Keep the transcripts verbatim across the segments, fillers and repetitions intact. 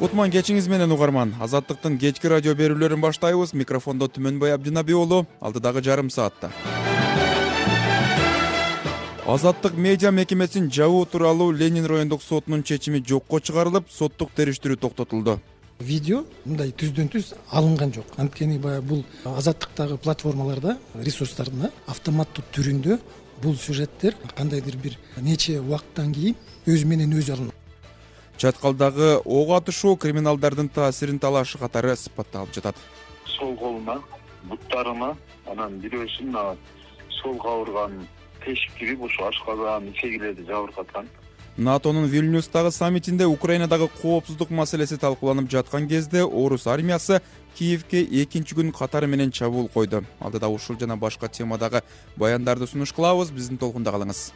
Кутман кечиңиз менен угарман. Азаттыктын кечки радио берүүлөрүн баштайбыз. Микрофондо Түмөнбай Абдинаби уулу. Алдыдагы жарым саатта Азаттык медиа мекемесин жабуу тууралуу Ленин райондук сотунун чечими жокко чыгарылып, соттук териштирүү токтотулду. Видео мындай түздөн түз алынган жок. Анткени баягы бул азаттыктагы платформаларда, ресурстарда автоматтуу түрүндө бул сюжеттер кандайдыр бир нече убакыттан кийин өз менен өзү алынат. Чаткалдагы ок атышуу криминалдардын таасирин талашы катары сыпатталып жатат. Сол колуна, буттарына, анан бирөөсүн сол кабырганын тешиктирип ушу ашказан, ичегилерди жабыркаткан. НАТОнун Вильнюстагы саммитинде Украинадагы коопсуздук маселеси талкууланып жаткан кезде орус армиясы Киевке экинчи күн катары менен чабуул койду. Алдыда ушул жана башка темадагы баяндарды сунуш кылабыз. Биздин толкунда калыңыз.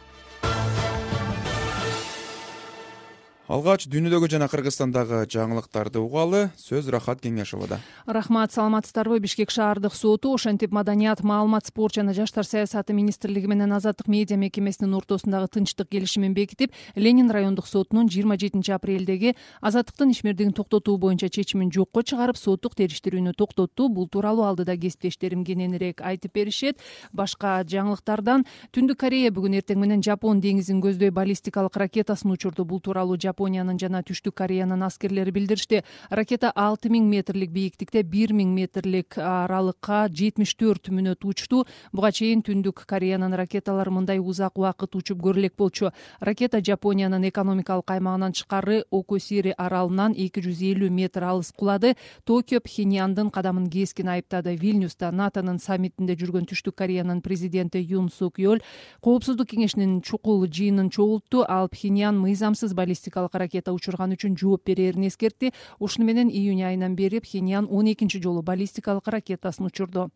Алгач дүйнөдөгү жана Кыргызстандагы жаңылыктарды угалы. Сөз Рахат Кеңешовада. Рахмат, саламатсыздарбы? Бишкек шаардык соту ошентип маданият, маалымат, спорт жана жаштар саясаты министрлиги менен Азаттык медиа мекемесинин ортосундагы тынчтык келишимин бекитип, Ленин райондук сотунун жыйырма жетинчи апрелдеги Азаттыктын ишмердигин токтотуу боюнча чечимин жокко чыгарып, соттук териштирүүнү токтотту. Бул тууралуу алдыда кесиптештерим кененирээк айтып беришет. Башка жаңылыктардан Түндүк Корея бүгүн эртең менен Жапон деңизин көздөй баллистикалык ракетасын учурду. Бул тууралуу Япониянын жана Түштүк Кореянын аскерлери билдиришти. Ракета алты миң метрлик бийиктикте бир миң метрлик аралыкка жетимиш төрт мүнөт учту. Буга чейин Түндүк Кореянын ракеталары мындай узак убакыт учуп көрө элек болчу. Ракета Жапониянын экономикалык аймагынан тышкары Окусири аралынан эки жүз элүү метр алыс кулады. Токио Пхеньяндын кадамын кескин айыптады. Вильнюста НАТОнун саммитинде жүргөн Түштүк Кореянын президенти Юн Сук Йол Коопсуздук кеңешинин чукул жыйынын чогултту. Ал Пхеньян мыйзамсыз баллистикалык ракета учурган үчүн жооп берерин эскертти. Ушуну менен июнь айынан бери Пхеньян он экинчи жолу баллистикалык ракетасын учурду.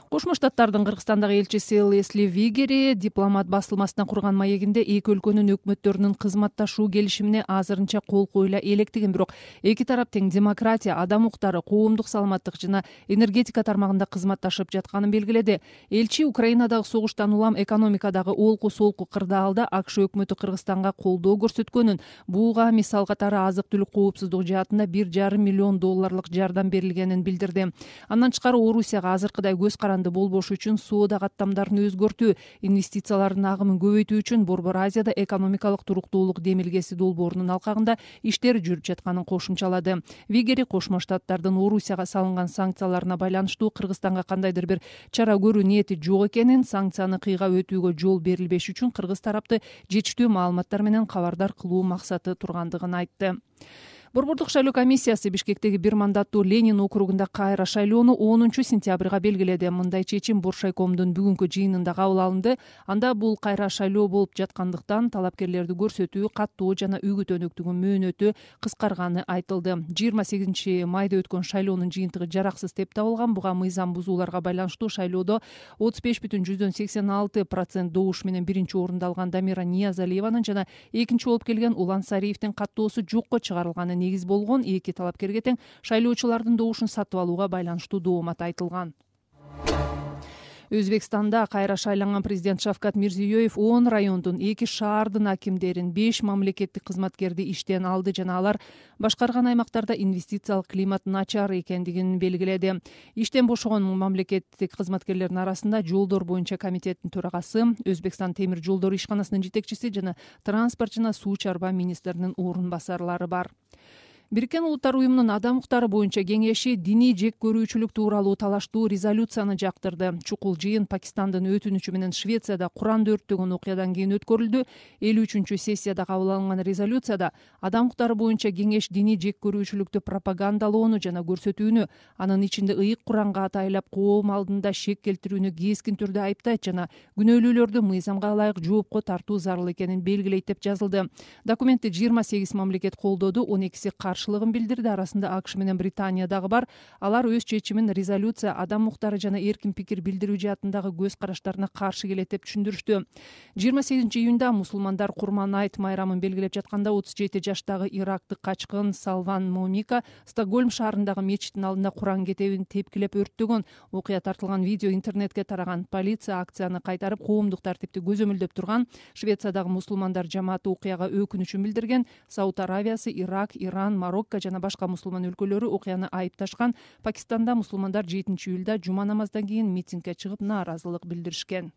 Кошмо Штаттардын Кыргызстандагы элчиси Лесли Вигери дипломат басылмасына курган маегинде эки өлкөнүн өкмөттөрүнүн кызматташуу келишимине азырынча кол коюла электигин, бирок эки тарап тең демократия, адам укуктары, коомдук саламаттык жана энергетика тармагында кызматташып жатканын белгиледи. Элчи Украинадагы согуштан улам экономикадагы олку-солку кырдаалда АКШ өкмөтү Кыргызстанга колдоо көрсөткөнүн, буга мисал катары азык-түлүк коопсуздугу жаатында бир жарым миллион долларлык жардам берилгенин билдирди. Андан тышкары Орусияга азыркыдай көз каранды болбош үчүн соода каттамдарын өзгөртүү, инвестициялардын агымын көбөйтүү үчүн Борбор Азияда экономикалык туруктуулук демилгеси долбоорунун алкагында иштер жүрүп жатканын кошумчалады. Вигери Кошмо Штаттардын Орусияга салынган санкцияларына байланыштуу Кыргызстанга кандайдыр бир чара көрүү ниети жок экенин, санкцияны кыйгап өтүүгө жол берилбеш үчүн кыргыз тарапты жетиштүү маалыматтар менен кабардар кылуу максаты тургандыгын айтты. Борбордук шайлоо комиссиясы Бишкектеги бир мандаттуу Ленин округунда кайра шайлоону онунчу сентябрга белгиледи. Мындай чечим Боршайкомдун бүгүнкү жыйынында кабыл алынды. Анда бул кайра шайлоо болуп жаткандыктан талапкерлерди көрсөтүү, каттоо жана үгүт өнөктүгүн мөөнөтү кыскарганы айтылды. жыйырма сегизинчи майда өткөн шайлоонун жыйынтыгы жараксыз деп табылган. Буга мыйзам бузууларга байланыштуу шайлоодо отуз беш бүтүн жүздөн сексен алты процент добуш менен биринчи орунду алган Дамира Ниязалиеванын жана экинчи болуп келген Улан Сариевдин каттоосу жокко чыгарылганы негиз болгон. Эки талапкерге тең шайлоочулардын добушун сатып алууга байланыштуу доомат айтылган. Өзбекстанда кайра шайланган президент Шавкат Мирзиёев он райондун, эки шаардын акимдерин, беш мамлекеттик кызматкерди иштен алды жана алар башкарган аймактарда инвестициялык климат начар экендигин белгиледи. Иштен бошогон мамлекеттик кызматкерлердин арасында жолдор боюнча комитеттин төрагасы, Өзбекстан темир жолдору ишканасынын жетекчиси жана транспорт жана суу чарба министринин орун басарлары бар. Бириккен Улуттар уюмунун адам укуктары боюнча кеңеши диний жек көрүүчүлүк тууралуу талаштуу резолюцияны жактырды. Чукул жыйын Пакистандын өтүнүчү менен Швецияда Куранды өрттөгөн окуядан кийин өткөрүлдү. элүү үчүнчү сессияда кабыл алынган резолюцияда адам укуктары боюнча кеңеш диний жек көрүүчүлүктү пропагандалоону жана көрсөтүүнү, анын ичинде ыйык Куранга атайлап коом алдында шек келтирүүнү кескин түрдө айыптайт жана күнөөлүүлөрдү мыйзамга ылайык жоопко тартуу зарыл экенин белгилейт деп жазылды. Документти жыйырма сегиз мамлекет колдоду, он экиси каршы каршылыгын билдирди. Арасында АКШ менен Британия дагы бар. Алар өз чечимин резолюция адам укуктары жана эркин пикир билдирүү жаатындагы көз караштарына каршы келет деп түшүндүрүштү. жыйырма сегизинчи июнда мусулмандар Курман айт майрамын белгилеп жатканда отуз жети жаштагы ирактык качкын Салван Момика Стокгольм шаарындагы мечиттин алдында Куран кетебин тепкилеп өрттөгөн. Окуя тартылган видео интернетке тараган. Полиция акцияны кайтарып, коомдук тартипти көзөмөлдөп турган. Швециядагы мусулмандар жамааты окуяга өкүнүчүн билдирген. Сауд Аравиясы, Ирак, Иран, Марокко жана башка мусулман өлкөлөрү окуяны айыпташкан. Пакистанда мусулмандар жетинчи июлда жума намаздан кийин митингге чыгып нааразылык билдиришкен.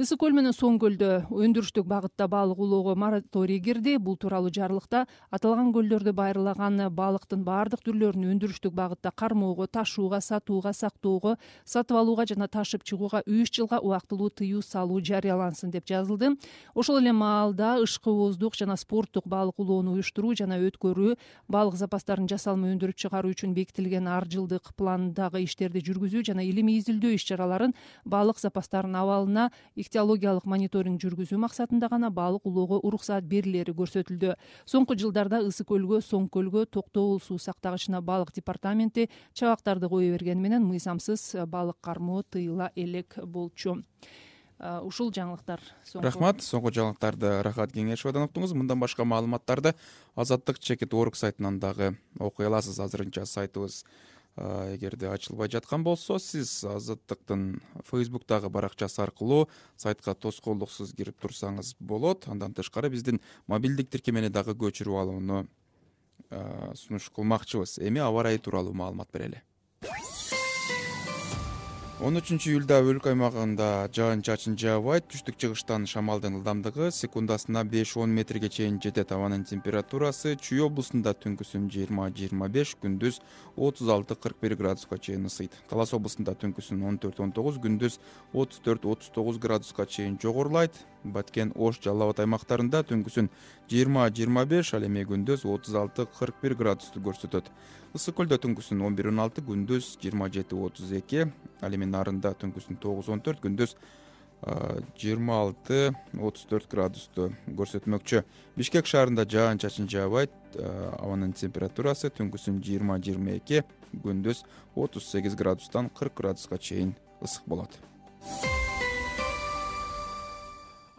Ысык көл менен Соң көлдө өндүрүштүк багытта балык улоого мораторий кирди. Бул тууралуу жарлыкта аталган көлдөрдө байырлаган балыктын баардык түрлөрүн өндүрүштүк багытта кармоого, ташууга, сатууга, сактоого, сатып алууга жана ташып чыгууга үч жылга убактылуу тыюу салуу жарыялансын деп жазылды. Ошол эле маалда ышкыбоздук жана спорттук балык улоону уюштуруу жана өткөрүү, балык запастарын жасалма өндүрүп чыгаруу үчүн бекитилген ар жылдык пландагы иштерди жүргүзүү жана илимий изилдөө иш-чараларын, балык запастарынын абалына ихтиологиялык мониторинг жүргүзүү максатында гана балык улоого уруксаат берилери көрсөтүлдү. Соңку жылдарда Ысык көлгө, Соң көлгө токтогул суу сактагычына балык департаменти чабактарды кое бергени менен мыйзамсыз балык кармоо тыйыла элек болчу. Ушул жаңылыктар. Рахмат. Соңку жаңылыктарды Рахат Кеңешовдон уктуңуз. Мындан башка маалыматтарды Азаттык чекит орг сайтынан дагы окуй аласыз. Азырынча сайтыбыз эгерде ачылбай жаткан болсо, сиз Азаттыктын Facebook'тагы баракчасы аркылуу сайтка тоскоолдуксуз кирип турсаңыз болот. Андан тышкары биздин мобилдик тиркемени дагы көчүрүп алууну сунуш кылмакчыбыз. Эми аба ырайы тууралуу маалымат берели. он үчүнчү июлда өлкө аймагында жаан-чачын жаабайт. Түштүк-чыгыштан шамалдын ылдамдыгы секундасына беш-он метрге чейин жетет. Абанын температурасы Чүй облусунда түнкүсүн жыйырма жыйырма беш, күндүз отуз алты кырк бир градуска чейин ысыйт. Талас облусунда түнкүсүн он төрт он тогуз, күндүз отуз төрт отуз тогуз градуска чейин жогорулайт. Баткен, Ош, Жалал Абад аймактарында түнкүсүн жыйырма жыйырма беш, ал эми күндүз отуз алты кырк бир градусту көрсөтөт. Ысык көлдө түнкүсүн он бир он алты, күндүз жыйырма жети отуз эки, ал эми Нарында түнкүсүн тогуз он төрт, күндүз жыйырма алты отуз төрт градусту көрсөтмөкчү. Бишкек шаарында жаан-чачын жаабайт. Абанын температурасы түнкүсүн жыйырма жыйырма эки, күндүз отуз сегиз градустан кырк градуска чейин ысык болот.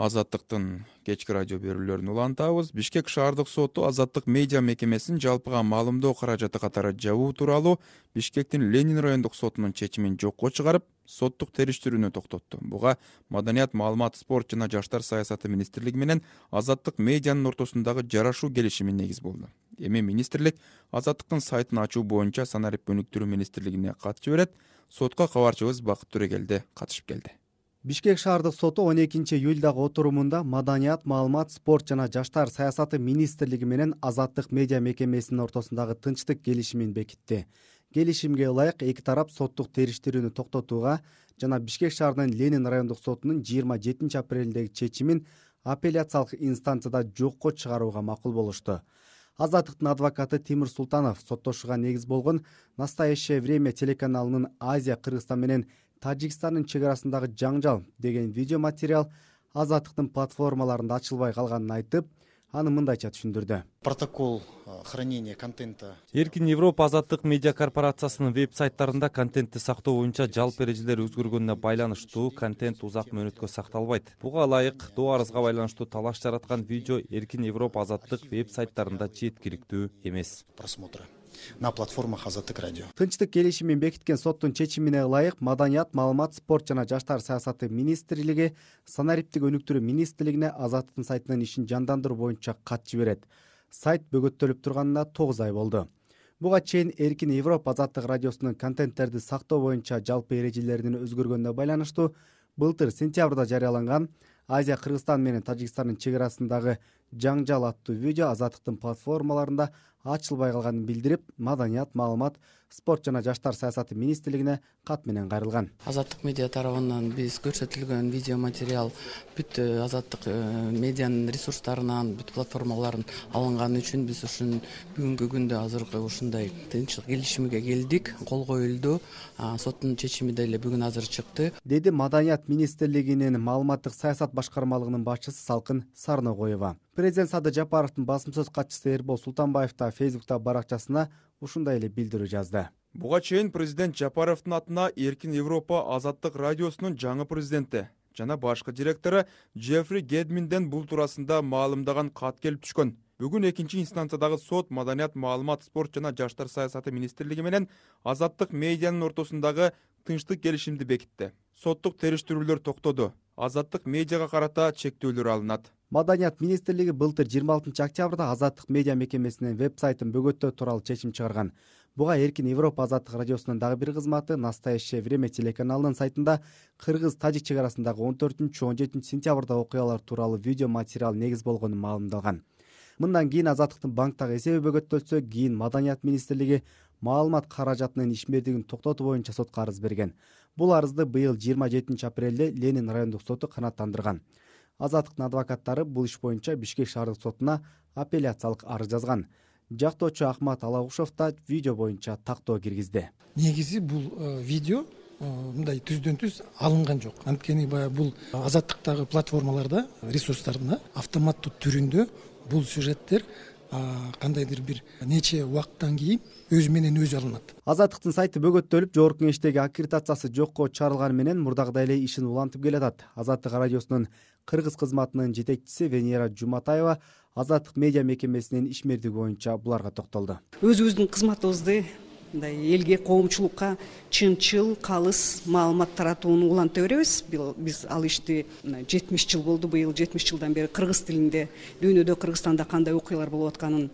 Азаттыктын кечки радио берүүлөрүн улантабыз. Бишкек шаардык соту Азаттык медиа мекемесин жалпыга маалымдоо каражаты катары жабуу тууралуу Бишкектин Ленин райондук сотунун чечимин жокко чыгарып, соттук териштирүүнү токтотту. Буга Маданият, маалымат, спорт жана жаштар саясаты министрлиги менен Азаттык медианын ортосундагы жарашуу келишими негиз болду. Эми министрлик Азаттыктын сайтын ачуу боюнча санарип өнүктүрүү министрлигине кат жиберет. Сотко кабарчыбыз Бакыт Төрегелди катышып келди. Бишкек шаардык соту он экинчи июлдагы отурумунда Маданият, маалымат, спорт жана жаштар саясаты министрлиги менен Азаттык медиа мекемесинин ортосундагы тынчтык келишимин бекитти. Келишимге ылайык эки тарап соттук териштирүүнү токтотууга жана Бишкек шаарынын Ленин райондук сотунун жыйырма жетинчи апрелдеги чечимин апелляциялык инстанцияда жокко чыгарууга макул болушту. Азаттыктын адвокаты Тимир Султанов соттошууга негиз болгон «Настоящее время» телеканалынын Азия, Кыргызстан менен Тажикстандын чек арасындагы жаңжал деген видеоматериал Азаттыктын платформаларында ачылбай калганын айтып, аны мындайча түшүндүрдү. Протокол хранения контента. Эркин Европа Азаттык медиа корпорациясынын веб-сайттарында контентти сактоо боюнча жалпы эрежелер өзгөргөнүнө байланыштуу контент узак мөөнөткө сакталбайт. Буга ылайык доо арызга байланыштуу талаш жараткан видео Эркин Европа Азаттык веб-сайттарында жеткиликтүү эмес. Просмотра на платформах Азаттык радио. Тынчтык келишимин бекиткен соттун чечимине ылайык Маданият, маалымат, спорт жана жаштар саясаты министрлиги санариптик өнүктүрүү министрлигине Азаттыктын сайтынын ишин жандандыруу боюнча кат жиберет. Сайт бөгөттөлүп турганына тогуз ай болду. Буга чейин Эркин Европа Азаттык радиосунун контенттерди сактоо боюнча жалпы эрежелеринин өзгөргөнүнө байланыштуу былтыр сентябрда жарыяланган Азия, Кыргызстан менен Тажикстандын чек арасындагы жаңжал аттуу видео Азаттыктын платформаларында ачылбай калганын билдирип, Маданият, маалымат, спорт жана жаштар саясаты министрлигине кат менен кайрылган. Азаттык медиа тарабынан биз көрсөтүлгөн видео материал бүт Азаттык медианын ресурстарынан, бүт платформаларын алынган үчүн биз ушун бүгүнкү күндө азыркы ушундай тынчтык келишимге келдик, кол коюлду. Соттун чечими деле бүгүн азыр чыкты, деди Маданият министрлигинин маалыматтык саясат башкармалыгынын башчысы Салкын Сарногоева. Президент Садыр Жапаровдун басым сөз катчысы Эрбол Султанбаев да Фейсбукта баракчасына ушундай эле билдирүү жазды. Буга чейин президент Жапаровдун атына Эркин Европа Азаттык радиосунун жаңы президенти жана башкы директору Джеффри Гедминден бул туурасында маалымдаган кат келип түшкөн. Бүгүн экинчи инстанциядагы сот Маданият, маалымат, спорт жана жаштар саясаты министрлиги менен Азаттык медианын ортосундагы тынчтык келишимди бекитти. Соттук териштирүүлөр токтоду. Азаттык медиага карата чектөөлөр алынат. Маданият министрлиги былтыр жыйырма алтынчы октябрда Азаттык медиа мекемесинин веб-сайтын бөгөттөө тууралуу чечим чыгарган. Буга Эркин Европа Азаттык радиосунун дагы бир кызматы Настоящее время телеканалынын сайтында кыргыз-тажик чек арасындагы он төртүнчү он жетинчи сентябрда окуялар тууралуу видео материал негиз болгону маалымдалган. Мындан кийин Азаттыктын банктагы эсеби бөгөттөлсө, кийин Маданият министрлиги маалымат каражатынын ишмердигин токтотуу боюнча сотко арыз берген. Бул арызды быйыл жыйырма жетинчи апрелде Ленин райондук соту канааттандырган. Азаттыктын адвокаттары бул иш боюнча Бишкек шаардык сотуна апелляциялык арыз жазган. Жактоочу Ахмат Алагушев да видео боюнча тактоо киргизди. Негизи бул видео мындай түздөн түз алынган жок. Анткени баягы бул Азаттыктагы платформаларда, ресурстарда автоматтуу түрүндө бул сюжеттер кандайдыр бир нече убакыттан кийин өзү менен өзү алынат. Азаттыктын сайты бөгөттөлүп, жогорку кеңештеги аккредитациясы жокко чыгарылганы менен мурдагыдай эле ишин улантып келатат. Азаттык радиосунун кыргыз кызматынын жетекчиси Венера Жуматаева Азаттык медиа мекемесинин ишмердиги боюнча буларга токтолду. Өзүбүздүн кызматыбызды мындай элге, коомчулукка чынчыл, калыс маалымат таратууну уланта беребиз. Биз ал ишти жетимиш жыл болду. Быйыл жетимиш жылдан бери кыргыз тилинде дүйнөдө, Кыргызстанда кандай окуялар болуп атканын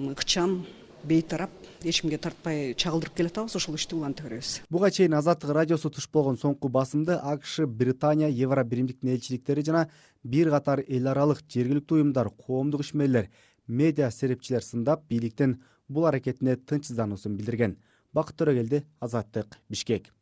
ыкчам, бейтарап, эч кимге тартпай чагылдырып келатабыз. Ошол ишти уланта беребиз. Буга чейин Азаттык радиосу туш болгон соңку басымды АКШ, Британия, Евро биримдиктин элчиликтери жана бир катар эл аралык жергиликтүү уюмдар, коомдук ишмерлер, медиа серепчилер сындап, бийликтин бул аракетине тынчсыздануусун билдирген. Бакыт Төрөгелди, Азаттык, Бишкек.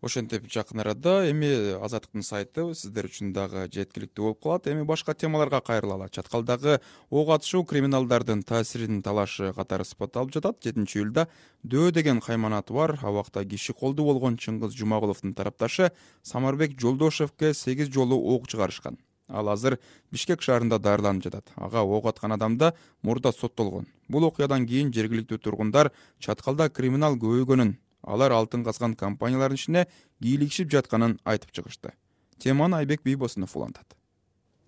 Ошентип жакын арада эми Азаттыктын сайты сиздер үчүн дагы жеткиликтүү болуп калат. Эми башка темаларга кайрылалы. Чаткалдагы ок атышуу криминалдардын таасиринин талашы катары сыпатталып жатат. жетинчи июлда Дөө деген кайманаты бар абакта киши колду болгон Чыңгыз Жумагуловдун тарапташы Самарбек Жолдошевке сегиз жолу ок чыгарышкан. Ал азыр Бишкек шаарында даарыланып жатат. Ага ок аткан адам да мурда соттолгон. Бул окуядан кийин жергиликтүү тургундар чаткалда криминал көбөйгөнүн, алар алтын казган компаниялардын ишине кийлигишип жатканын айтып чыгышты. Теманы Айбек Бийбосунов улантат.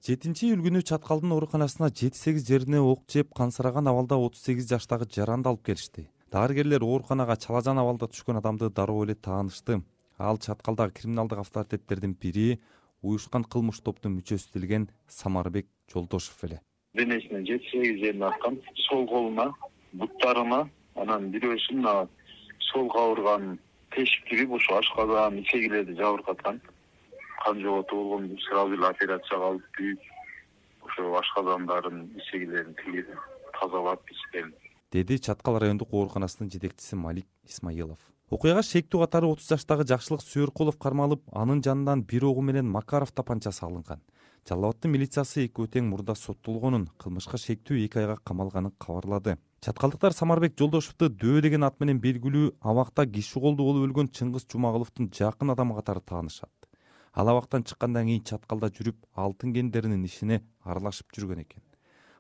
жетинчи июль күнү Чаткалдын ооруканасына жети сегиз жерине ок жеп кансыраган абалда отуз сегиз жаштагы жаранды алып келишти. Дарыгерлер ооруканага чалажан абалда түшкөн адамды дароо эле таанышты. Ал Чаткалдагы криминалдык авторитеттердин бири, уюшкан кылмыш топтун мүчөсү делген Самарбек Жолдошев эле. Денесине жети сегиз жерине аткан, сол колуна, буттарына, анан бирөөсүн солго ауырган тешик кирип, ошо ашказан, ичегилерди жабыркаткан. Кан жоготу болгон, сразу эле операцияга алып күйүп, ошо ашказандарын, ичегилерин тигип, тазалап ичкен. Деди Чаткал райондук ооруканасынын жетекчиси Малик Исмаилов. Окуяга шектүү катары отуз жаштагы Жакшылык Сүйөркулов кармалып, анын жанынан бир огу менен Макаров тапанчасы алынган. Жалал абаддын милициясы эки тең мурда соттолгонун, кылмышка шектүү эки айга камалганын кабарлады. Чаткалдыктар Самарбек Жолдошевду Дөө деген ат менен белгилүү абакта киши колду болуп өлгөн Чыңгыз Жумагуловдун жакын адамы катары таанышат. Ал абактан чыккандан кийин Чаткалда жүрүп, алтын кендеринин ишине аралашып жүргөн экен.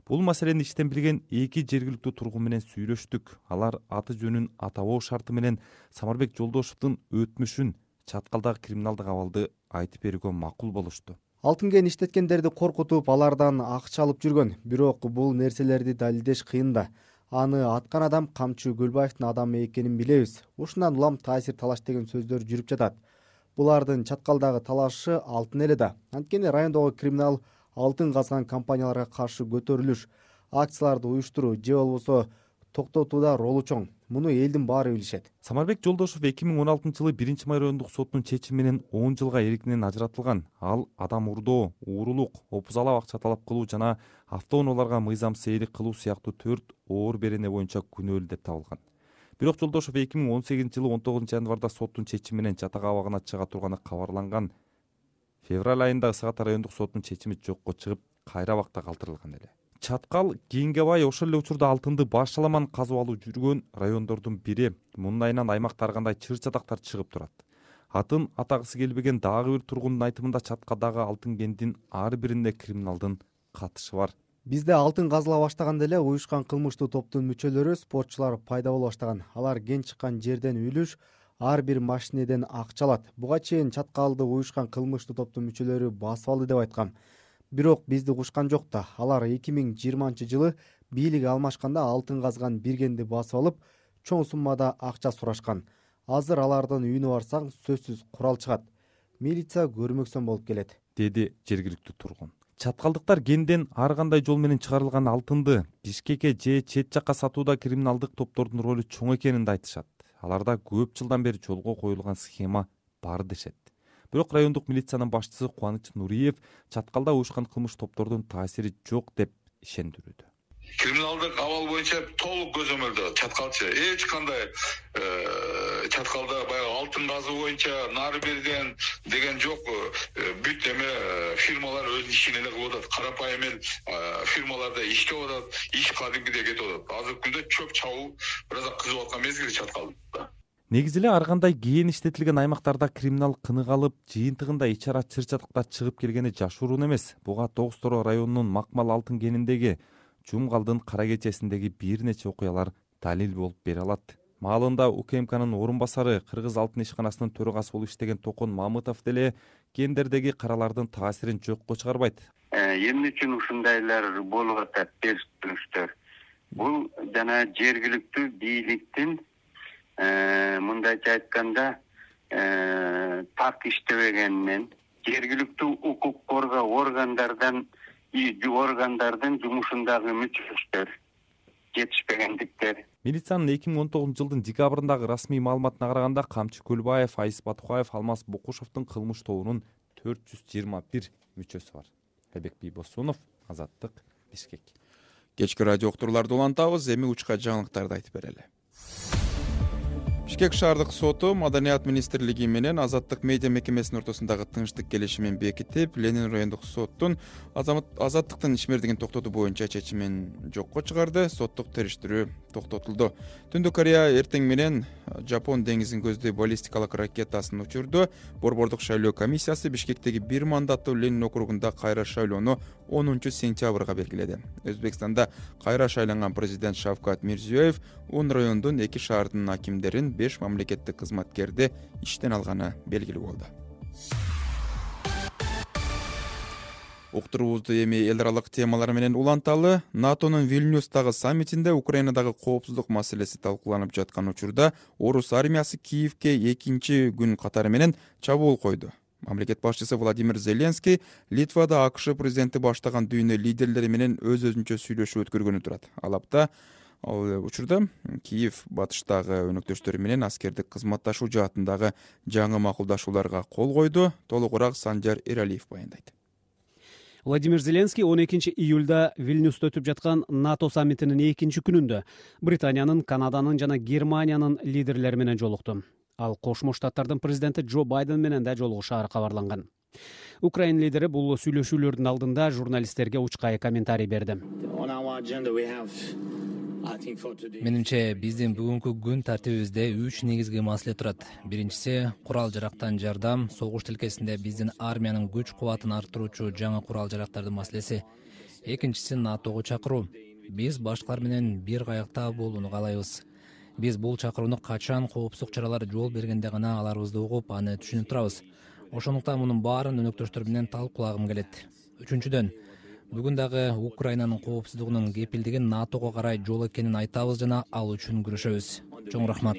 Бул маселени иштен билген эки жергиликтүү тургун менен сүйлөштүк. Алар аты жөнүн атабоо шарты менен Самарбек Жолдошевдун өтмүшүн, Чаткалдагы криминалдык абалды айтып берүүгө макул болушту. Алтын кен иштеткендерди коркутуп, алардан акча алып жүргөн. Бирок бул нерселерди далилдеш кыйын да. Аны аткан адам Камчы Гүлбаевдин адамы экенин билебиз. Ушундан улам таасир талаш деген сөздөр жүрүп жатат. Булардын Чаткалдагы талашы алтын эле да. Анткени райондогу криминал алтын казган компанияларга каршы көтөрүлүш, акцияларды уюштуруу же болбосо токтотууда ролу чоң. Муну элдин баары билишет. Самарбек Жолдошев эки миң он алтынчы жылы биринчи май райондук сотунун чечими менен он жылга эркинен ажыратылган. Ал адам урдоо, уурулук, опузалап акча талап кылуу жана автоунааларга мыйзамсыз ээлик кылуу сыяктуу төрт оор берене боюнча күнөөлүү деп табылган. Бирок Жолдошев эки миң он сегизинчи жылы он тогузунчу январда соттун чечими менен жатак абагына чыга турганы кабарланган. Февраль айында Ысык Ата райондук соттун чечими жокко чыгып, кайра абакта калтырылган эле. Чаткал кийинге бай ошол эле учурда алтынды башаламан казып алуу жүргөн райондордун бири. Мунун айынан аймак таргандай чыр-чатактар чыгып турат. атын атагысы келбеген дагы бир тургундун айтымында чаткадагы алтын кендин ар биринде криминалдын катышы бар. Бизде алтын казыла баштаганда эле уюшкан кылмыштуу топтун мүчөлөрү, спортчулар пайда боло баштаган. Алар кен чыккан жерден үлүш, ар бир машинеден акча алат. Буга чейин чаткалды уюшкан кылмыштуу топтун мүчөлөрү басып алды деп айткам. Бирок бизди кушкан жок да. Алар эки миң жыйырманчы жылы бийлик алмашканда алтын казган бир кенди басып алып, чоң суммада акча сурашкан. Азыр алардын үйүнө барсаң сөзсүз курал чыгат. Милиция көрмөксөн болуп келет, деди жергиликтүү тургун. Чаткалдыктар кенден ар кандай жол менен чыгарылган алтынды Бишкекке же чет жакка сатууда криминалдык топтордун ролу чоң экенин да айтышат. Аларда көп жылдан бери жолго коюлган схема бар дешет. Бирок райондук милициянын башчысы Кубаныч Нуриев чаткалда уюшкан кылмыш топтордун таасири жок деп ишендирүүдө. Криминалдык абал боюнча толук көзөмөлдө чаткалчы эч кандай чаткалда баягы алтын казуу боюнча нары берден деген жок. Бүт эме фирмалар өз ишин эле кылып атат. Карапайым эл фирмаларда иштеп атат, иш кадимгидей кетип атат. Азыркы күндө чөп чабуу бир аз кызып аткан мезгил чаткалда. Негизи эле ар кандай кээин иштетилген аймактарда криминал кынык алып, жыйынтыгында ичара чыр-чатыкта чыгып келгени жашыруун эмес. Буга Тогуз Торо районунун Макмал алтын кениндеги Жумгалдын кара кечесиндеги бир нече окуялар далил болуп бере алат. Маалында УКМКнын орун басары, Кыргыз алтын ишканасынын төрагасы болуп иштеген Токон Мамытов деле кендердеги каралардын таасирин жокко чыгарбайт. Эмне үчүн ушундайлар болуп атат терстирүүчтөр? Бул жана жергиликтүү бийликтин мындайча айтканда так иштебегенинен, жергиликтүү укук коргоо органдардан органдардын жумушундагы мүчөчтөр жетишпегендиктер. Милициянын эки миң он тогузунчу жылдын декабрындагы расмий маалыматына караганда Камчы Көлбаев, Айыс Батукаев, Алмаз Букушевдун кылмыш тобунун төрт жүз жыйырма бир мүчөсү бар. Айбек Бийбосунов, Азаттык, Бишкек. Кечки радио уктурууларды улантабыз, эми учка жаңылыктарды айтып берели. Бишкек шаардык соту Маданият министрлиги менен Азаттык медиа мекемесинин ортосундагы тынчтык келишимин бекитип, Ленин райондук соттун азаттыктын ишмердигин токтотуу боюнча чечимин жокко чыгарды. Соттук териштирүү токтотулду. Түндүк Корея эртең менен Жапон деңизин көздөй баллистикалык ракетасын учурду. Борбордук шайлоо комиссиясы Бишкектеги бир мандаттуу Ленин округунда кайра шайлоону онунчу сентябрга белгиледи. Өзбекстанда кайра шайланган президент Шавкат Мирзиёев он райондун эки шаардын акимдерин беш мамлекеттик кызматкерди иштен алганы белгилүү болду. Уктуруубузду эми эл аралык темалар менен уланталы. НАТОнун Вильнюстагы саммитинде Украинадагы коопсуздук маселеси талкууланып жаткан учурда орус армиясы Киевке экинчи күн катары менен чабуул койду. Мамлекет башчысы Владимир Зеленский Литвада АКШ президенти баштаган дүйнө лидерлери менен өз-өзүнчө сүйлөшүү өткөргөнү турат. Алапта ал учурда Киев батыштагы өнөктөштөрү менен аскердик кызматташуу жаатындагы жаңы макулдашууларга кол койду. Толугураак Санжар Эралиев баяндайт. Владимир Зеленский он экинчи июлда Вильнюста өтүп жаткан НАТО саммитинин экинчи күнүндө Британиянын, Канаданын жана Германиянын лидерлери менен жолукту. Ал Кошмо Штаттардын президенти Джо Байден менен да жолугушаары кабарланган. Украин лидери бул сүйлөшүүлөрдүн алдында журналисттерге учкай комментарий берди. Менимче биздин бүгүнкү күн тартибибизде үч негизги маселе турат. Биринчиси курал жарактан жардам, согуш тилкесинде биздин армиянын күч кубатын арттыруучу жаңы курал жарактардын маселеси. Экинчиси НАТОго чакыруу. Биз башкалар менен бир каякта болууну каалайбыз. Биз бул чакырууну качан коопсуздук чаралары жол бергенде гана аларыбызды угуп, аны түшүнүп турабыз. Ошондуктан мунун баарын өнөктөштөр менен талкуулагым келет. Үчүнчүдөн, бүгүн дагы Украинанын коопсуздугунун кепилдигин НАТОго карай жол экенин айтабыз жана ал үчүн күрөшөбүз. Чоң рахмат.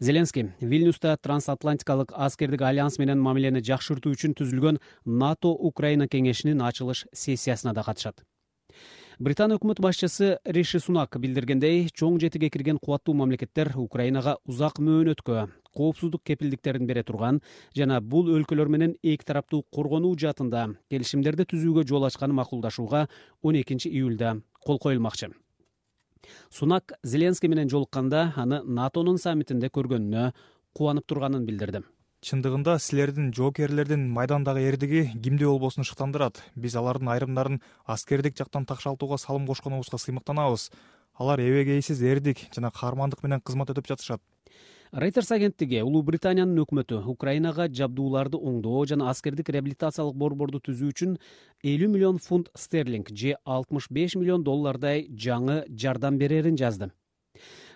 Зеленский Вильнюста трансатлантикалык аскердик альянс менен мамилени жакшыртуу үчүн түзүлгөн НАТО Украина кеңешинин ачылыш сессиясына да катышат. Британия өкмөт башчысы Риши Сунак билдиргендей, чоң жетиге кирген кубаттуу мамлекеттер Украинага узак мөөнөткө коопсуздук кепилдиктерин бере турган жана бул өлкөлөр менен эки тараптуу коргонуу жаатында келишимдерди түзүүгө жол ачканы макулдашууга он экинчи июлда кол коюлмакчы. Сунак Зеленский менен жолукканда аны НАТОнун саммитинде көргөнүнө кубанып турганын билдирди. Чындыгында силердин жоокерлердин майдандагы эрдиги кимде болбосун шыктандырат. Биз алардын айрымдарын аскердик жактан такшалтууга салым кошконубузга сыймыктанабыз. Алар эбегейсиз эрдик жана каармандык менен кызмат өтүп жатышат. Reuters агенттиги Улуу Британиянын өкмөтү Украинага жабдууларды оңдоо жана аскердик реабилитациялык борборду түзүү үчүн элүү миллион фунт стерлинг же алтымыш беш миллион доллардай жаңы жардам берерин жазды.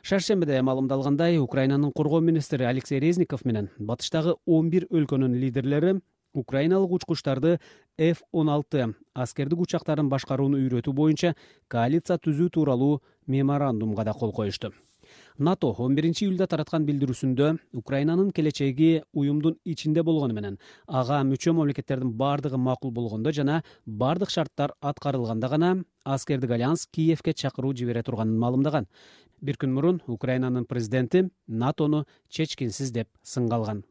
Шаршембиде маалымдалгандай, Украинанын коргоо министри Алексей Резников менен батыштагы он бир өлкөнүн лидерлери украиналык учкучтарды эф он алты аскердик учактарын башкарууну үйрөтүү боюнча коалиция түзүү тууралуу меморандумга да кол коюшту. НАТО он биринчи июлда тараткан билдирүүсүндө Украинанын келечеги уюмдун ичинде болгону менен ага мүчө мамлекеттердин бардыгы макул болгондо жана бардык шарттар аткарылганда гана аскердик альянс Киевке чакыруу жибере турганын маалымдаган. Бир күн мурун Украинанын президенти НАТОну чечкинсиз деп сынга алган.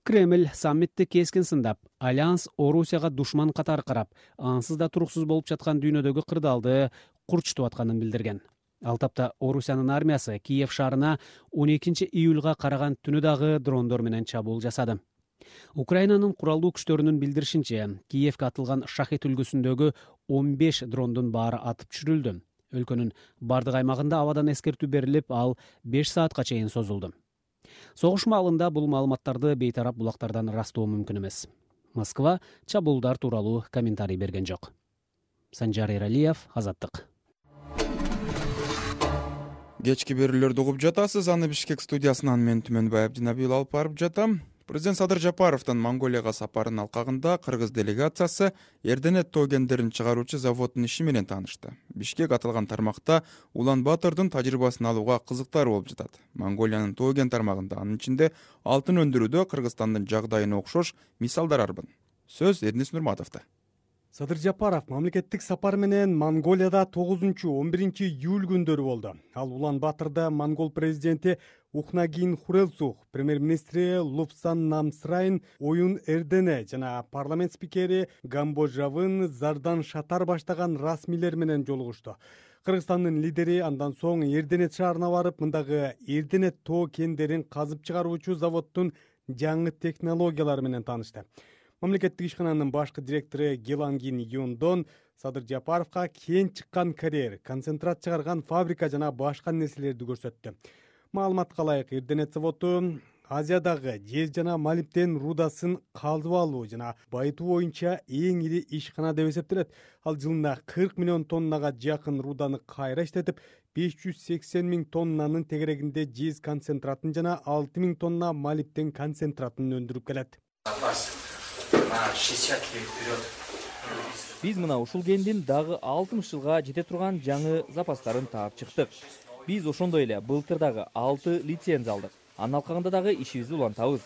Кремль саммитти кескин сындап, альянс Орусияга душман катары карап, ансыз да туруксуз болуп жаткан дүйнөдөгү кырдаалды курчутуп атканын билдирген. Ал тапта Орусиянын армиясы Киев шаарына он экинчи июлга караган түнү дагы дрондор менен чабуул жасады. Украинанын куралдуу күчтөрүнүн билдиришинче, Киевке атылган шахет үлгүсүндөгү он беш дрондун баары атып түшүрүлдү. Өлкөнүн бардык аймагында абадан эскертүү берилип, ал беш саатка чейин созулду. Согуш маалында бул маалыматтарды бейтарап булактардан ырастоо мүмкүн эмес. Москва чабуулдар тууралуу комментарий берген жок. Санжар Эралиев, Азаттык. Кечки берүүлөрдү угуп жатасыз. Аны Бишкек студиясынан мен Түмөнбай Абдинабиев алып барып жатам. Президент Садыр Жапаровдун Монголияга сапарынын алкагында кыргыз делегациясы Эрденет тоо кендерин чыгаруучу заводдун иши менен таанышты. Бишкек аталган тармакта Улан Батырдын тажрыйбасын алууга кызыктар болуп жатат. Монголиянын тоо кен тармагында, анын ичинде алтын өндүрүүдө Кыргызстандын жагдайына окшош мисалдар арбын. Сөз Эрнис Нурматовдо. Садыр Жапаров мамлекеттик сапар менен Монголияда тогузунчу он биринчи июль күндөрү болду. Ал Улан Батырда монгол президенти Ухнагин Хурэлсух, премьер-министри Лупсан Намсрайн, Оюн Эрдене жана парламент спикери Гамбожавын Зардан Шатар баштаган расмийлер менен жолугушту. Кыргызстандын лидери андан соң Эрденет шаарына барып, мындагы Эрденет тоо кендерин казып чыгаруучу заводдун жаңы технологиялары менен таанышты. Мамлекеттик ишкананын башкы директору Гелангин Юндон Садыр Жапаровго кен чыккан карьер, концентрат чыгарган фабрика жана башка нерселерди көрсөттү. Маалыматка ылайык, Эрденет заводу Азиядагы жез жана молибден рудасын калдып алуу жана байытуу боюнча эң ири ишкана деп эсептелет. Ал жылына кырк миллион тоннага жакын руданы кайра иштетип, беш жүз сексен миң тоннанын тегерегинде жез концентратын жана алты миң тонна молибден концентратын өндүрүп келет. Биз мына ушул кендин дагы алтымыш жылга жете турган жаңы запастарын таап чыктык. Биз ошондой эле былтыр дагы алты лицензия алдык. Анын алкагында дагы ишибизди улантабыз.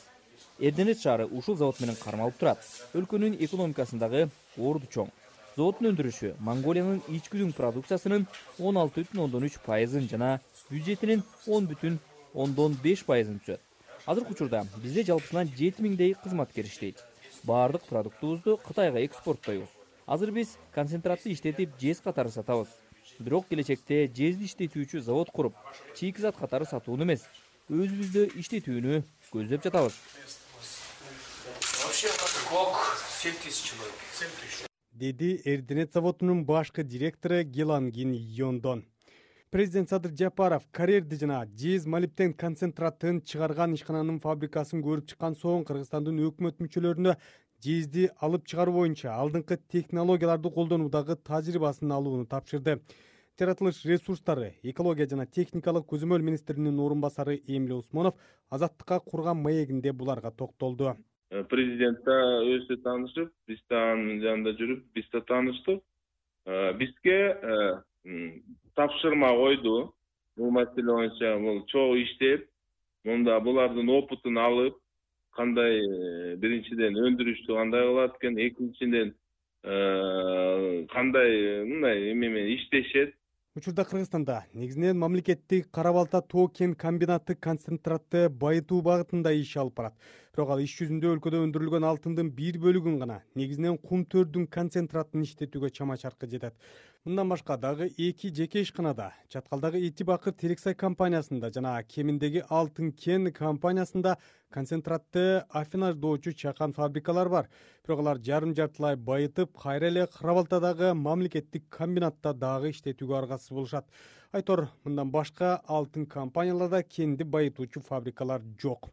Эрденет шаары ушул завод менен кармалып турат. Өлкөнүн экономикасындагы орду чоң. Заводдун өндүрүшү Монголиянын ички продукциясынын он алты бүтүн ондон үч пайызын жана бюджетинин он бүтүн ондон беш пайызын түзөт. Азыркы учурда бизде жалпысынан жети миңдей кызматкер иштейт. Баардык продуктубузду Кытайга экспорттойбуз. Азыр биз концентратты иштетип жез катары сатабыз. Бирок келечекте жезди иштетүүчү завод куруп, чийкизат катары сатууну эмес, өзүбүздө иштетүүнү көздөп жатабыз. Деди Эрденет заводунун башкы директору Гелангин Йондон. Президент Садыр Жапаров карьерди жана жез молибден концентратын чыгарган ишкананын фабрикасын көрүп чыккан соң Кыргызстандын өкмөт мүчөлөрүнө жезди алып чыгаруу боюнча алдыңкы технологияларды колдонуудагы тажрыйбасын алууну тапшырды. Жаратылыш ресурстары, экология жана техникалык көзөмөл министринин орун басары Эмиль Усмонов Азаттыкка курган маегинде буларга токтолду. Президент да өзү таанышып, биз да анын жанында жүрүп, биз да тааныштык. Бизге тапшырма койду. Бул маселе боюнча бул чогуу иштеп, мында булардын опытын алып, кандай биринчиден өндүрүштү кандай кылат экен, экинчиден кандай мындай эме менен иштешет. Учурда Кыргызстанда негизинен мамлекеттик Кара Балта тоо кен комбинаты концентратты байытуу багытында иш алып барат. бирок ал иш жүзүндө өлкөдө өндүрүлгөн алтындын бир бөлүгүн гана, негизинен кум төрдүн концентратын иштетүүгө чама чаркы жетет. Мындан башка дагы эки жеке ишканада, Чаткалдагы Эти Бакыр Терексай компаниясында жана Кеминдеги Алтын Кен компаниясында концентратты афинаждоочу чакан фабрикалар бар. Бирок алар жарым-жартылай байытып, кайра эле Кырабалтадагы мамлекеттик комбинатта дагы иштетүүгө аргасыз болушат. Айтор, мындан башка алтын компанияларда кенди байытуучу фабрикалар жок.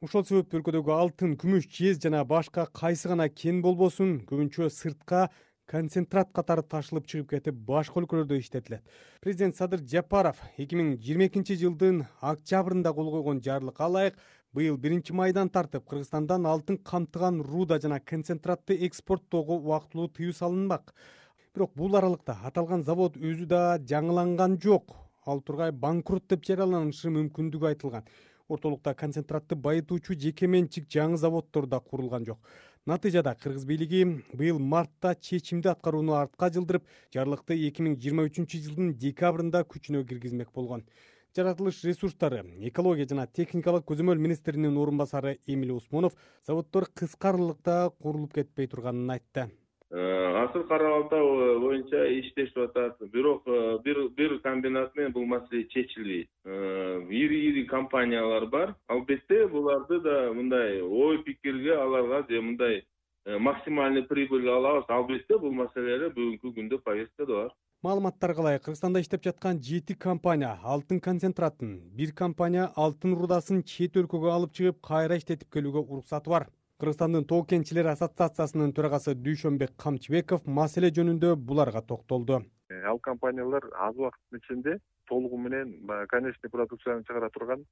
Ошол себептен өлкөдөгү алтын, күмүш, жез жана башка кайсы гана кен болбосун, көбүнчө сыртка концентрат катары ташылып чыгып кетип, башка өлкөлөрдө иштетилет. Президент Садыр Жапаров эки миң жыйырма экинчи жылдын октябрында кол койгон жарлыкка ылайык быйыл биринчи майдан тартып Кыргызстандан алтын камтыган руда жана концентратты экспорттоого убактылуу тыюу салынмак. Бирок бул аралыкта аталган завод өзү да жаңыланган жок. Ал тургай банкрот деп жарыяланышы мүмкүндүгү айтылган. Ортолукта концентратты байытуучу жеке менчик жаңы заводдор да курулган жок. Натыйжада кыргыз бийлиги быйыл мартта чечимди аткарууну артка жылдырып, жарлыкты эки миң жыйырма үчүнчү жылдын декабрында күчүнө киргизмек болгон. Жаратылыш ресурстары, экология жана техникалык көзөмөл министринин орун басары Эмиль Усмонов заводдор кыска аралыкта курулуп кетпей турганын айтты. Асыл Кара-Балта боюнча иштешип атат. Бирок бир бир комбинат менен бул маселе чечилбейт. Ири-ири компаниялар бар. Албетте буларды да мындай ой пикирге аларга же мындай максимальный прибыль алабыз. Албетте бул маселелер бүгүнкү күндө повесткада бар. Маалыматтарга ылайык, Кыргызстанда иштеп жаткан жети компания алтын концентратын, бир компания алтын рудасын чет өлкөгө алып чыгып, кайра иштетип келүүгө уруксаты бар. Кыргызстандын тоо кенчилери ассоциациясынын төрагасы Дүйшөнбек Камчыбеков маселе жөнүндө буларга токтолду. Ал компаниялар аз убакыттын ичинде толугу менен конечный продукцияны чыгара турган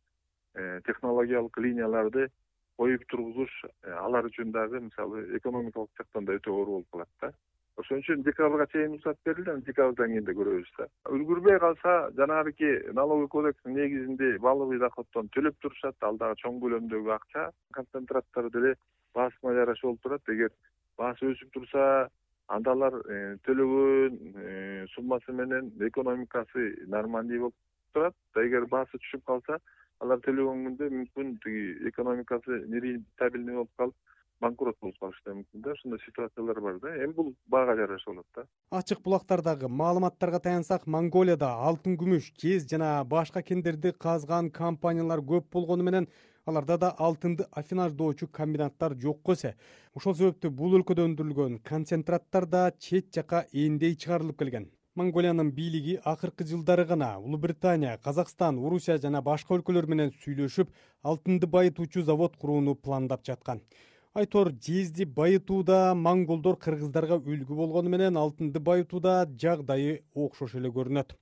технологиялык линияларды коюп тургузуш алар үчүн дагы мисалы экономикалык жактан да өтө оор болуп калат да. Ошон үчүн декабрга чейин уруксат берилди, декабрдан кийин да көрөбүз да. Үлгүрбөй калса, жанагы налоговый кодекстин негизинде балловый доходдон төлөп турушат, ал дагы чоң көлөмдөгү акча. Концентраттар деле баасына жараша болуп турат. Эгер баасы өсүп турса, анда алар төлөгөн суммасы менен экономикасы нормальный болуп турат. Эгер баасы түшүп калса, алар төлөгөн күндө мүмкүн тиги экономикасы нерентабельный болуп калып, банкрот болуп калышы да мүмкүн да. Ушундай ситуациялар бар да. Эми бул баага жараша болот да. Ачык булактардагы маалыматтарга таянсак, Монголияда алтын, күмүш, жез жана башка кендерди казган компаниялар көп болгону менен аларда да алтынды афинаждоочу комбинаттар жокко эсе. Ошол себептен бул өлкөдө өндүрүлгөн концентраттар да чет жака эндей чыгарылып келген. Монголиянын бийлиги акыркы жылдары гана Улуу Британия, Казакстан, Орусия жана башка өлкөлөр менен сүйлөшүп, алтынды байытуучу завод курууну пландап жаткан. Айтор, жезди байытууда монголдор кыргыздарга үлгү болгону менен алтынды байытууда жагдайы окшош эле көрүнөт.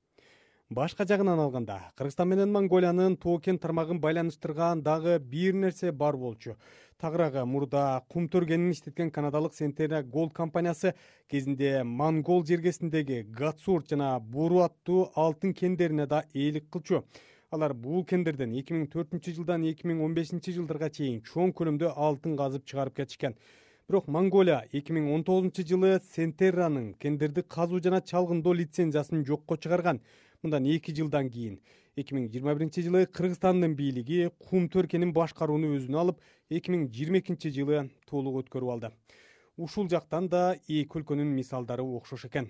Башка жагынан алганда, Кыргызстан менен Монголиянын тоо кен тармагын байланыштырган дагы бир нерсе бар болчу. Тагыраагы мурда кум төргенин иштеткен канадалык Centerra Gold компаниясы кезинде Монгол жергесиндеги Гатсурт жана Буру аттуу алтын кендерине да ээлик кылчу. Алар бул кендерден эки миң төртүнчү жылдан эки миң он бешинчи жылдарга чейин чоң көлөмдө алтын казып чыгарып кетишкен. Бирок Монголия эки миң он тогузунчу жылы Centerra'нын кендерди казуу жана чалгындоо лицензиясын жокко чыгарган. Мындан эки жылдан кийин эки миң жыйырма биринчи жылы Кыргызстандын бийлиги кум төркенин башкарууну өзүнө алып, эки миң жыйырма экинчи жылы толук өткөрүп алды. Ушул жактан да эки өлкөнүн мисалдары окшош экен.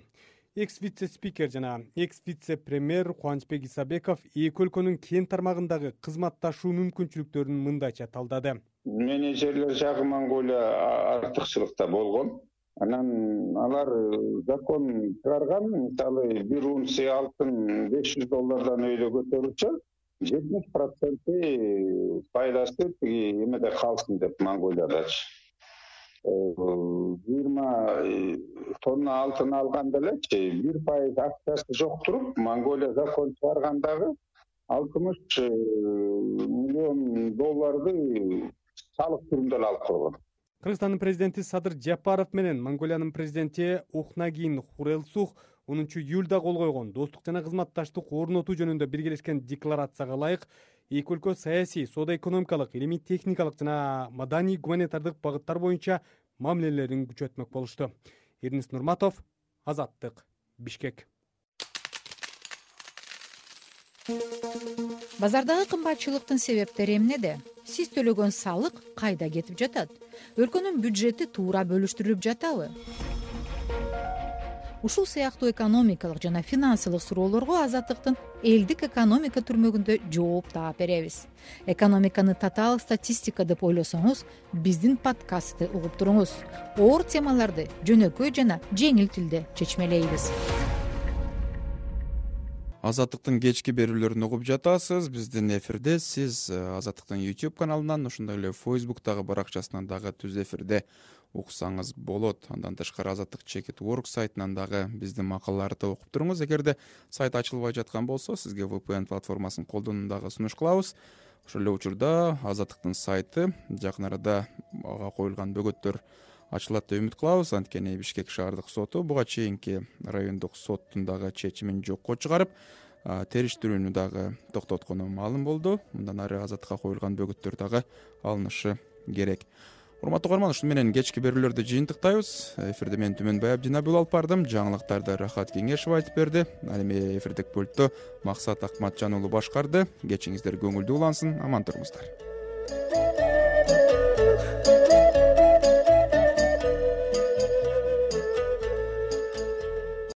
Экс-вице-спикер жана экс-вице-премьер Кубанычбек Исабеков эки өлкөнүн кен тармагындагы кызматташуу мүмкүнчүлүктөрүн мындайча талдады. Менеджерлер жагы Монголия артыкчылыкта болгон. Анан алар закон чыгарган, мисалы бир унция алтын беш жүз доллардан өйдө көтөрүлсө, жетимиш проценти пайдасы тиги эмеде калсын деп Монголиядачы. жыйырма тонна алтын алганда элечи бир пайыз акчасы жок туруп, Монголия закон чыгаргандагы алтымыш миллион долларды салык түрүндө алып койгон. Кыргызстандын президенти Садыр Жапаров менен Монголиянын президенти Ухнагин Хурелсух онунчу июлда кол койгон достук жана кызматташтык орнотуу жөнүндө биргелешкен декларацияга ылайык эки өлкө саясий, соода-экономикалык, илимий техникалык жана маданий гуманитардык багыттар боюнча мамилелерин күчөтмөк болушту. Эрнис Нурматов, Азаттык, Бишкек. Базардагы кымбатчылыктын себептери эмнеде? сиз төлөгөн салык кайда кетип жатат? Өлкөнүн бюджети туура бөлүштүрүлүп жатабы? Ушул сыяктуу экономикалык жана финансылык суроолорго Азаттыктын элдик экономика түрмөгүндө жооп таап беребиз. Экономиканы татаал статистика деп ойлосоңуз, биздин подкастты угуп туруңуз. Оор темаларды жөнөкөй жана жеңил тилде чечмелейбиз. Азаттыктын кечки берүүлөрүн угуп жатасыз. Биздин эфирде сиз Азаттыктын YouTube каналынан, ошондой эле Facebook'тагы баракчасынан дагы түз эфирде уксаңыз болот. Андан тышкары Азаттык чекит орг сайтынан дагы биздин макалаларды окуп туруңуз. Эгерде сайт ачылбай жаткан болсо, сизге ви пи эн платформасын колдонууну дагы сунуш кылабыз. Ошол эле учурда Азаттыктын сайты жакын арада ага коюлган бөгөттөр ачылат деп үмүт кылабыз. Анткени Бишкек шаардык соту буга чейинки райондук соттун дагы чечимин жокко чыгарып, териштирүүнү дагы токтоткону маалым болду. Мындан ары Азаттыкка коюлган бөгөттөр дагы алынышы керек. Урматтуу угарман, ушуну менен кечки берүүлөрдү жыйынтыктайбыз. Эфирде мен Түмөнбай Абдинабыл алып бардым. Жаңылыктарды Рахат Кеңешов айтып берди. Ал эми эфирдик пультту Максат Акматжан уулу башкарды. Кечиңиздер көңүлдүү улансын, аман туруңуздар.